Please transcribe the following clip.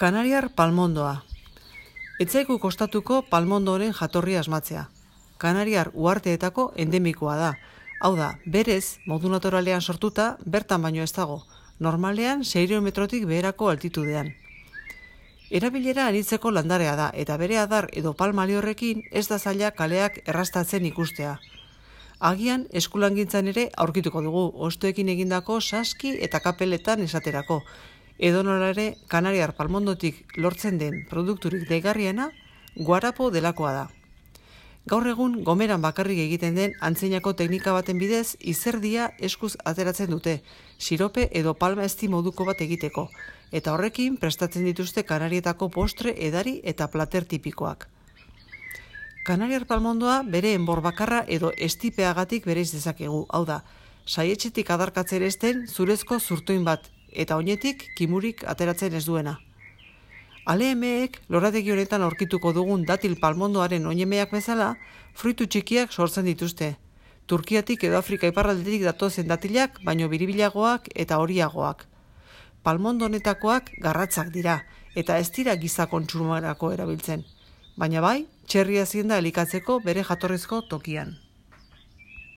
Kanariar palmondoa. Etzaiku kostatuko palmondoren jatorria asmatzea. Kanariar uharteetako endemikoa da. Hau da, berez, modu naturalean sortuta, bertan baino ez dago. Normalean 600 metrotik beherako altitudean. Erabilera anitzeko landarea da, eta bere adar edo palmali horrekin ez da zaila kaleak errastatzen ikustea. Agian eskulangintzan ere aurkituko dugu, hostoekin egindako saski eta kapeletan esaterako. Edonola ere, Kanariar palmondotik lortzen den produkturik deigarriena guarapo delakoa da. Gaur egun gomeran bakarrik egiten den antzeinako teknika baten bidez izerdia eskuz ateratzen dute, sirope edo palma ezti moduko bat egiteko, eta horrekin prestatzen dituzte Kanarietako postre, edari eta plater tipikoak. Kanariar palmondoa bere enbor bakarra edo estipeagatik bereiz dezakegu, hau da, saietxetik adarkatzen ezten zurezko zurtoin bat, eta oinetik kimurik ateratzen ez duena. Aleemeek lorategi honetan aurkituko dugun datil palmondoaren oinemeak bezala, fruitu txikiak sortzen dituzte. Turkiatik edo Afrika iparraldetik datozen datilak, baino biribilagoak eta horiagoak. Palmondo honetakoak garratzak dira, eta ez dira giza kontsumarako erabiltzen. Baina bai, txerria zienda elikatzeko bere jatorrizko tokian.